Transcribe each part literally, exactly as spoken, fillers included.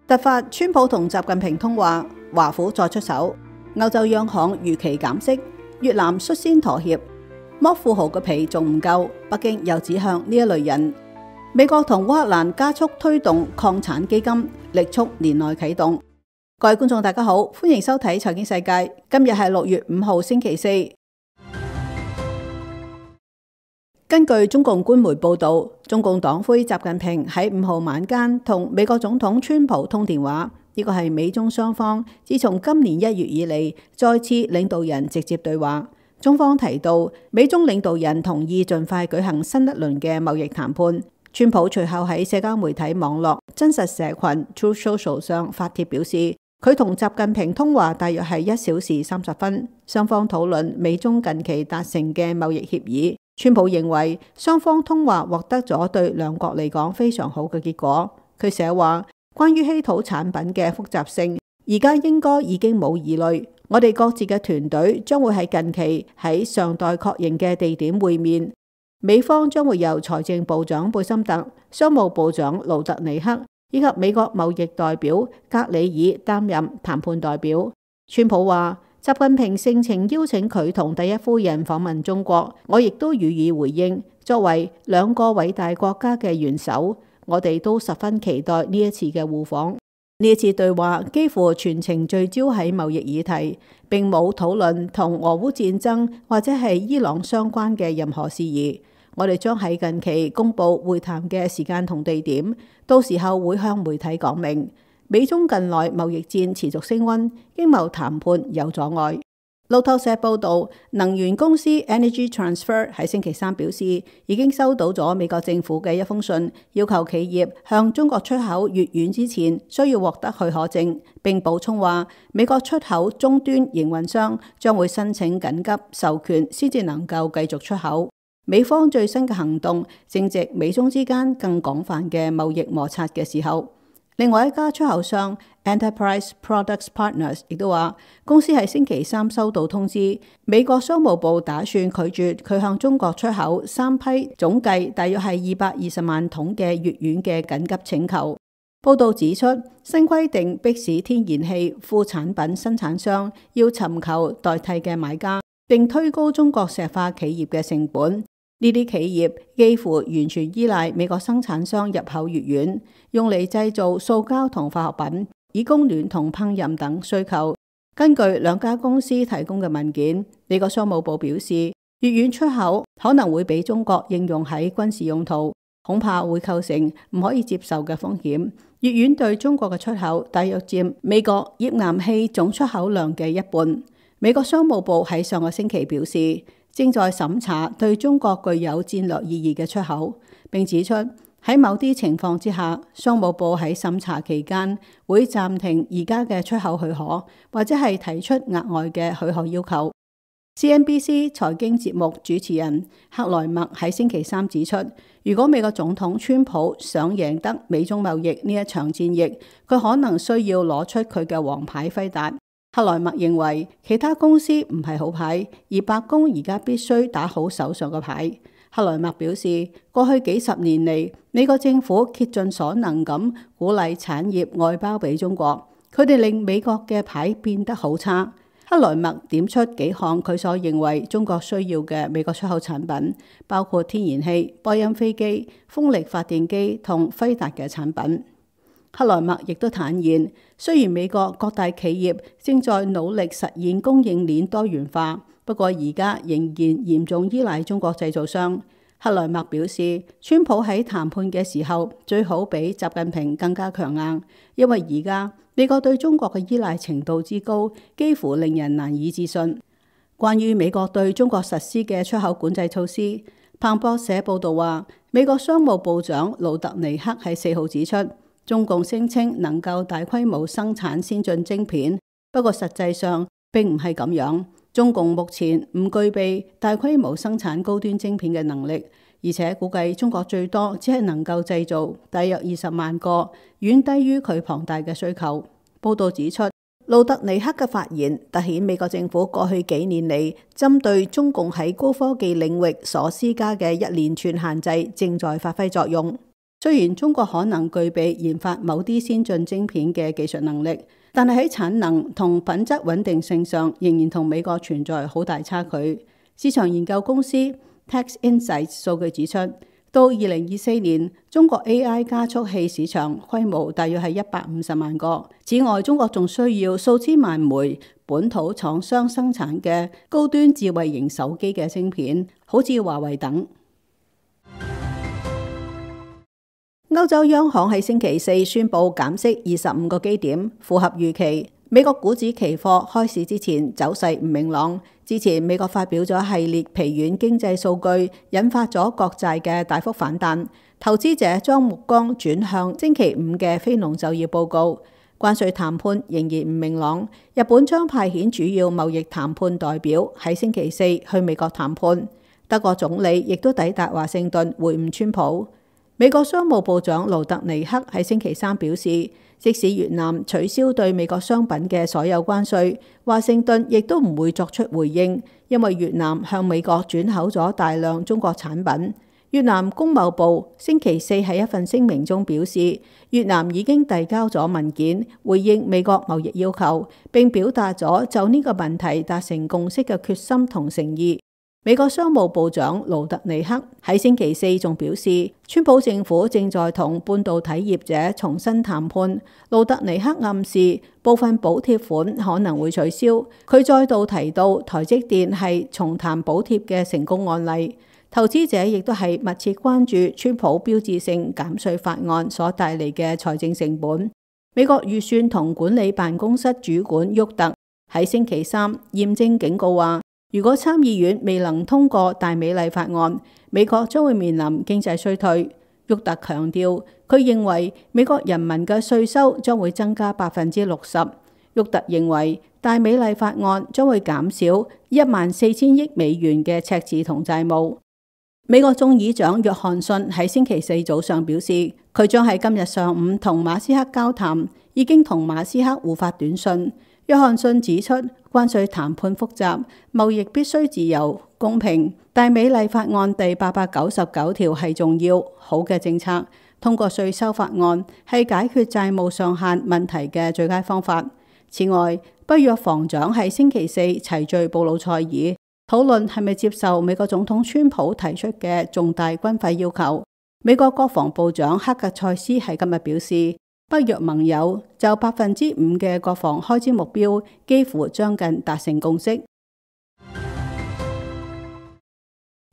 突發川普同習近平通話，華府再出手，歐洲央行預期減息，越南率先妥協，剝富豪嘅皮仲唔夠，北京又指向呢一類人。美國同烏克蘭加速推動礦產基金，力促年內啟動。各位觀眾大家好，歡迎收睇財經世界，今日係六月五號星期四。根據中共官媒報道，中共黨魁習近平喺五號晚間同美國總統川普通電話，呢個係美中雙方自從今年一月以嚟再次領導人直接對話。中方提到，美中領導人同意盡快舉行新一輪嘅貿易談判。川普隨後喺社交媒體網絡真實社群 Truth Social 上發帖表示，佢同習近平通話大約係一小時三十分，雙方討論美中近期達成嘅貿易協議。川普認為雙方通話獲得咗對兩國嚟講非常好嘅結果。佢寫話，關於稀土產品嘅複雜性，而家應該已經冇疑慮。我哋各自嘅團隊將會喺近期喺尚待確認嘅地點會面。美方將會由財政部長貝森特、商務部長盧特尼克以及美國貿易代表格里爾擔任談判代表。川普話，習近平盛情邀請佢同第一夫人訪問中國，我亦都予以回應。作為兩個偉大國家嘅元首，我哋都十分期待呢一次嘅互訪。呢一次對話幾乎全程聚焦喺貿易議題，並冇討論同俄烏戰爭或者係伊朗相關嘅任何事宜。我哋將喺近期公布會談嘅時間同地點，到時候會向媒體講明。美中近來貿易戰持續升溫，經貿談判有阻礙。路透社報道，能源公司 Energy Transfer 喺星期三表示，已經收到咗美國政府嘅一封信，要求企業向中國出口乙烷之前需要獲得許可證，並補充話，美國出口終端營運商將會申請緊急授權先至能夠繼續出口。美方最新嘅行動正值美中之間更廣泛嘅貿易摩擦嘅時候。另外一家出口商 Enterprise Products Partners 亦都話，公司喺星期三收到通知，美國商務部打算拒絕佢向中國出口三批總計大約係二百二十萬桶嘅乙烷嘅緊急請求。報道指出，新規定迫使天然氣副產品生產商要尋求代替嘅買家，並推高中國石化企業嘅成本。呢啲企業幾乎完全依賴美國生產商入口乙烷，用嚟製造塑膠同化學品，以供暖同烹飪等需求。根據兩家公司提供嘅文件，美國商務部表示，乙烷出口可能會俾中國應用喺軍事用途，恐怕會構成唔可以接受嘅風險。乙烷對中國嘅出口大約佔美國頁岩氣總出口量嘅一半。美國商務部喺上個星期表示，正在審查對中國具有戰略意義嘅出口，並指出喺某啲情況之下，商務部喺審查期間會暫停而家嘅出口許可，或者係提出額外嘅許可要求。C N B C 財經節目主持人克萊默喺星期三指出，如果美國總統川普想贏得美中貿易呢一場戰役，佢可能需要攞出佢嘅王牌輝達。克萊默認為其他公司唔係好牌，而白宮而家必須打好手上嘅牌。克萊默表示，過去幾十年嚟，美國政府竭盡所能咁鼓勵產業外包俾中國，佢哋令美國嘅牌變得好差。克萊默點出幾項佢所認為中國需要嘅美國出口產品，包括天然氣、波音飛機、風力發電機同輝達嘅產品。克萊默亦都坦言，雖然美國各大企業正在努力實現供應鏈多元化，不過而家仍然嚴重依賴中國製造商。克萊默表示，川普喺談判嘅時候最好比習近平更加強硬，因為而家美國對中國嘅依賴程度之高，幾乎令人難以置信。關於美國對中國實施嘅出口管制措施，彭博社報道話，美國商務部長盧特尼克喺四號指出，中共聲稱能夠大規模生產先進晶片，不過實際上並唔係咁樣。中共目前唔具備大規模生產高端晶片嘅能力，而且估計中國最多只係能夠製造大約二十萬個，遠低於佢龐大嘅需求。報道指出，盧特尼克嘅發言凸顯美國政府過去幾年嚟針對中共喺高科技領域所施加嘅一連串限制正在發揮作用。雖然中國可能具備研發某啲先進晶片嘅技術能力，但係喺產能同品質穩定性上，仍然同美國存在好大差距。市場研究公司 Tax Insights 數據指出，到二零二四年，中國 A I 加速器市場規模大約係一百五十萬個。此外，中國仲需要數千萬枚本土廠商生產嘅高端智慧型手機嘅芯片，好似華為等。歐洲央行喺星期四宣布減息二十五個基點，符合預期。美國股指期貨開市之前走勢唔明朗，之前美國發表咗系列疲軟經濟數據，引發咗國債嘅大幅反彈。投資者將目光轉向星期五嘅非農就業報告。關稅談判仍然唔明朗，日本將派遣主要貿易談判代表喺星期四去美國談判。德國總理亦都抵達華盛頓會晤川普。美國商務部長盧特尼克喺星期三表示，即使越南取消對美國商品嘅所有關稅，華盛頓亦都唔會作出回應，因為越南向美國轉口咗大量中國產品。越南工貿部星期四喺一份聲明中表示，越南已經遞交咗文件回應美國貿易要求，並表達咗就呢個問題達成共識嘅決心同誠意。美國商務部長盧特尼克喺星期四仲表示，川普政府正在同半導體業者重新談判。盧特尼克暗示部分補貼款可能會取消。佢再度提到台積電係重談補貼嘅成功案例。投資者亦都係密切關注川普標誌性減稅法案所帶嚟嘅財政成本。美國預算同管理辦公室主管沃特喺星期三嚴正警告話，如果參議院未能通過大美麗法案，美國將會面臨經濟衰退。沃特強調，佢認為美國人民嘅稅收將會增加百分之六十。沃特認為大美麗法案將會減少一萬四千億美元嘅赤字同債務。美國眾議長約翰遜喺星期四早上表示，佢將喺今日上午同馬斯克交談，已經同馬斯克互發短信。約翰遜指出，關稅談判複雜，貿易必須自由公平。大美麗法案第八百九十九條係重要好嘅政策，通過稅收法案係解決債務上限問題嘅最佳方法。此外，北約防長喺星期四齊聚布魯塞爾，討論係咪接受美國總統川普提出嘅重大軍費要求。美國國防部長克格塞斯喺今日表示，北約盟友就百分之五嘅國防開支目標幾乎將近達成共識。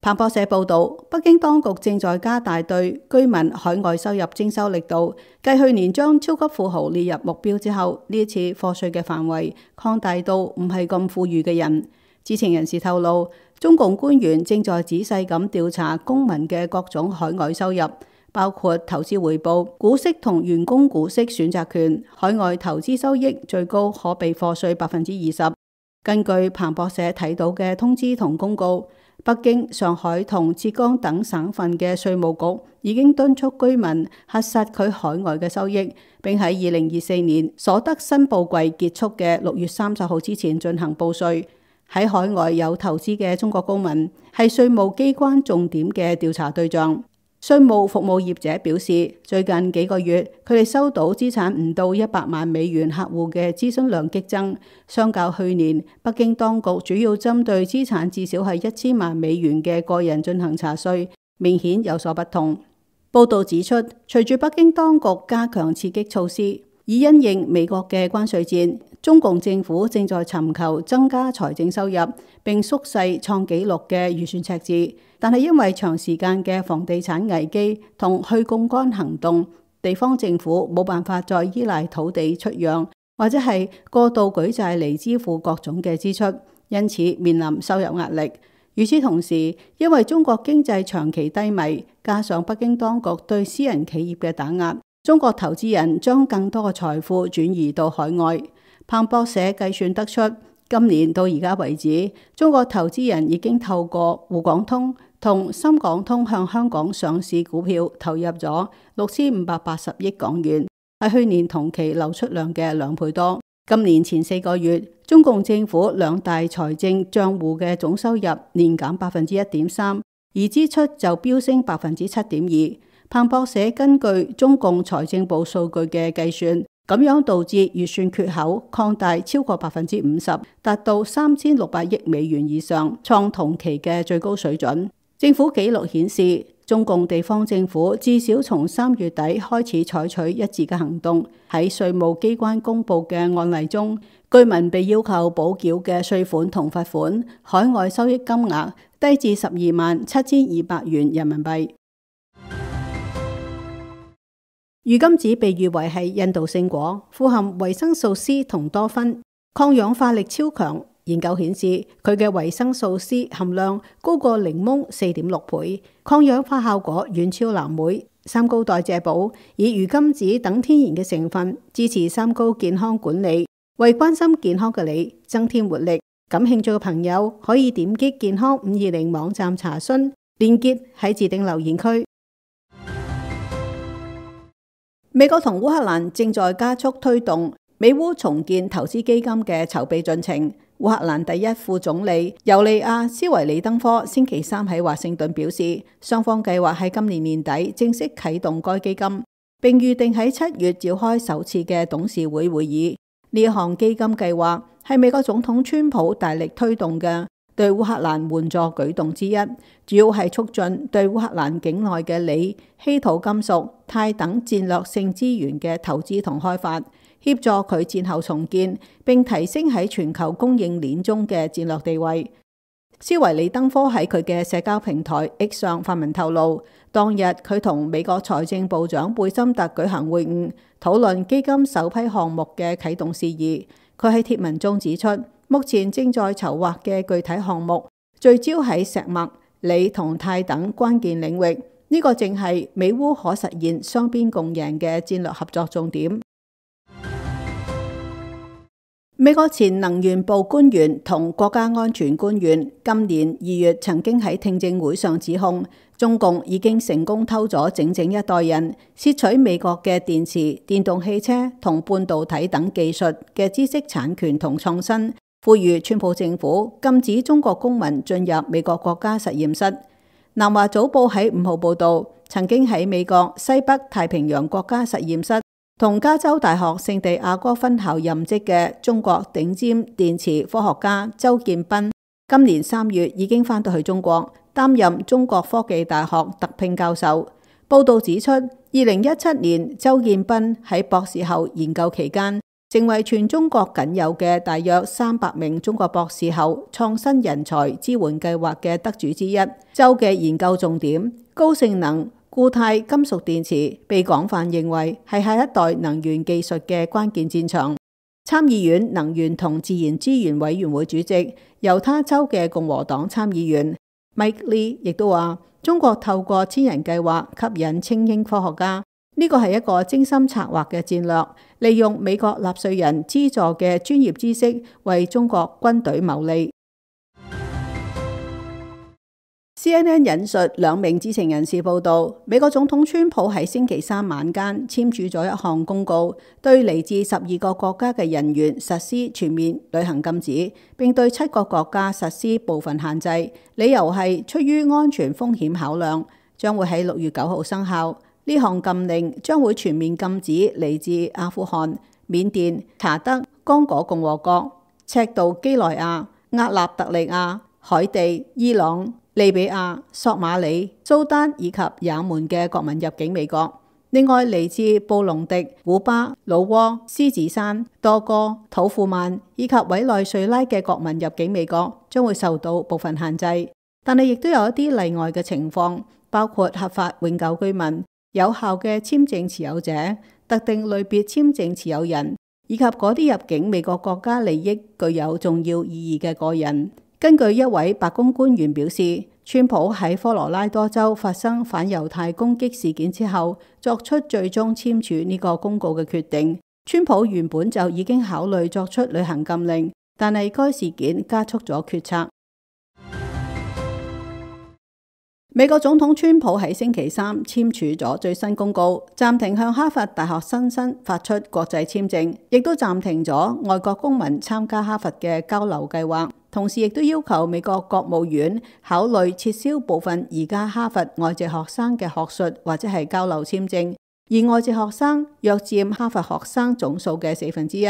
彭博社報道，北京當局正在加大對居民海外收入徵收力度，繼去年將超級富豪列入目標之後，呢一次課稅嘅範圍擴大到唔係咁富裕嘅人。知情人士透露，中共官員正在仔細咁調查公民嘅各種海外收入，包括投資回報、股息同員工股息選擇權。海外投資收益最高可被課稅百分之二十。根據彭博社睇到嘅通知同公告，北京、上海同浙江等省份嘅稅務局已經敦促居民核實佢海外嘅收益，並喺二零二四年所得申報季結束嘅六月三十號之前進行報稅。喺海外有投資嘅中國公民係稅務機關重點嘅調查對象。稅務服務業者表示，最近幾個月佢哋收到資產唔到一百萬美元客戶嘅諮詢量激增，相較去年，北京當局主要針對資產至少係一千萬美元嘅個人進行查稅，明顯有所不同。報道指出，隨住北京當局加強刺激措施，以因應美國嘅關稅戰，中共政府正在尋求增加財政收入，並縮細創紀錄嘅預算赤字。但係因為長時間嘅房地產危機同去槓桿行動，地方政府冇辦法再依賴土地出讓，或者係過度舉債嚟支付各種嘅支出，因此面臨收入壓力。與此同時，因為中國經濟長期低迷，加上北京當局對私人企業嘅打壓，中國投資人將更多嘅財富轉移到海外。彭博社計算得出，今年到而家為止，中國投資人已經透過滬港通同深港通向香港上市股票投入咗六千五百八十億港元，係去年同期流出量嘅兩倍多。今年前四個月，中共政府兩大財政賬戶嘅總收入年減百分之一點三，而支出就飆升百分之七點二。彭博社根據中共財政部數據嘅計算，咁樣導致預算缺口擴大超過百分之五十，達到三千六百億美元以上，創同期嘅最高水準。政府記錄顯示，中共地方政府至少從三月底開始採取一致嘅行動。喺稅務機關公佈嘅案例中，居民被要求補繳嘅稅款同罰款，海外收益金額低至十二萬七千二百元人民幣。魚甘子被譽為係印度聖果，富含維生素 C 同多酚，抗氧化力超強。研究顯示，佢嘅維生素 C 含量高過檸檬四點六倍，抗氧化效果遠超藍莓。三高代謝寶以魚甘子等天然嘅成分，支持三高健康管理，為關心健康嘅你增添活力。感興趣嘅朋友可以點擊健康五二零網站查詢，連結喺置頂留言區。美國同烏克蘭正在加速推動美烏重建投資基金嘅籌備進程。烏克蘭第一副總理尤利亞斯維里登科星期三喺華盛頓表示，雙方計劃喺今年年底正式啟動該基金，並預定喺七月召開首次嘅董事會會議。呢項基金計劃係美國總統川普大力推動嘅對烏克蘭援助舉動之一，主要係促進對烏克蘭境內嘅鋰、稀土金屬、鈦等戰略性資源嘅投資同開發，協助佢戰後重建，並提升喺全球供應鏈中嘅戰略地位。斯維里登科喺佢嘅社交平台 X 上發文透露，當日佢同美國財政部長貝森特舉行會晤，討論基金首批項目嘅啟動事宜。佢喺貼文中指出，目前正在籌劃嘅具體項目聚焦喺石墨、鋰同鈦等關鍵領域，呢、這個正係美烏可實現雙邊共贏嘅戰略合作重點。美國前能源部官員同國家安全官員今年二月曾經喺聽證會上指控，中共已經成功偷咗整整一代人，竊取美國嘅電池、電動汽車同半導體等技術嘅知識產權同創新，呼籲川普政府禁止中國公民進入美國國家實驗室。南華早報喺五號報道，曾經喺美國西北太平洋國家實驗室同加州大學聖地亞哥分校任職嘅中國頂尖電池科學家周建斌，今年三月已經返到去中國，擔任中國科技大學特聘教授。報道指出，二零一七年周建斌喺博士後研究期間，成為全中國僅有嘅大約三百名中國博士後創新人才支援計劃嘅得主之一。周嘅研究重點高性能固態金屬電池被廣泛認為係下一代能源技術嘅關鍵戰場。參議院能源同自然資源委員會主席猶他州嘅共和黨參議員 Mike Lee 亦都話，中國透過千人計劃吸引精英科學家，呢個係一個精心策劃嘅戰略，利用美國納稅人資助嘅專業知識為中國軍隊謀利。C N N 引述兩名知情人士報道，美國總統川普喺星期三晚間簽署咗一項公告，對嚟自十二個國家嘅人員實施全面旅行禁止，並對七個國家實施部分限制，理由係出於安全風險考量，將會喺六月九號生效。呢項禁令將會全面禁止嚟自阿富汗、緬甸、查德、剛果共和國、赤道幾內亞、厄立特里亞、海地、伊朗、利比亞、索馬里、蘇丹以及也門嘅國民入境美國。另外，嚟自布隆迪、古巴、老撾、獅子山、多哥、土庫曼以及委內瑞拉嘅國民入境美國將會受到部分限制，但係亦都有一啲例外嘅情況，包括合法永久居民、有效嘅簽證持有者、特定類別簽證持有人以及嗰啲入境美國國家利益具有重要意義嘅個人。根據一位白宮官員表示，川普喺科羅拉多州發生反猶太攻擊事件之後，作出最終簽署呢個公告嘅決定。川普原本就已經考慮作出旅行禁令，但係該事件加速咗決策。美國總統川普喺星期三簽署咗最新公告，暫停向哈佛大學新生發出國際簽證，亦都暫停咗外國公民參加哈佛嘅交流計劃，同時亦都要求美國國務院考慮撤銷部分而家哈佛外籍學生嘅學術或者係交流簽證，而外籍學生約佔哈佛學生總數嘅四分之一。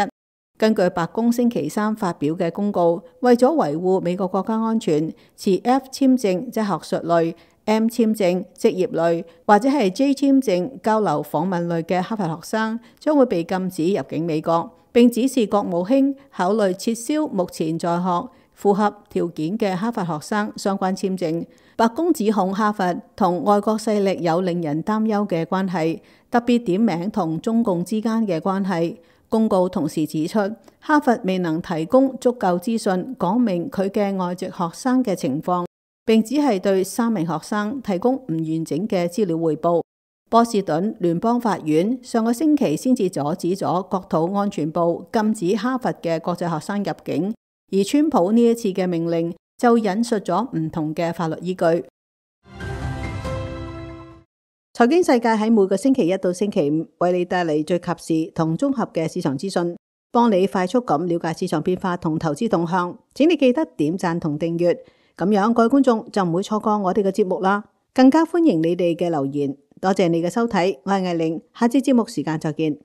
根據白宮星期三發表嘅公告，為咗維護美國國家安全，持 F 簽證即係學術類、M 簽證職業類或者係 J 簽證交流訪問類嘅哈佛學生將會被禁止入境美國，並指示國務卿考慮撤銷目前在學符合條件嘅哈佛學生相關簽證。白宮指控哈佛同外國勢力有令人擔憂嘅關係，特別點名同中共之間嘅關係。公告同時指出，哈佛未能提供足夠資訊講明佢嘅外籍學生嘅情況，並只係對三名學生提供唔完整嘅資料彙報。波士頓聯邦法院上個星期先至阻止咗國土安全部禁止哈佛嘅國際學生入境，而川普呢一次嘅命令就引述咗唔同嘅法律依據。財經世界喺每個星期一到星期五為你帶嚟最及時同綜合嘅市場資訊，幫你快速咁了解市場變化同投資動向。請你記得點讚同訂閱，咁樣各位觀眾就唔會錯過我哋嘅節目啦。更加歡迎你哋嘅留言。多謝你嘅收睇，我係艾玲，下次節目時間再見。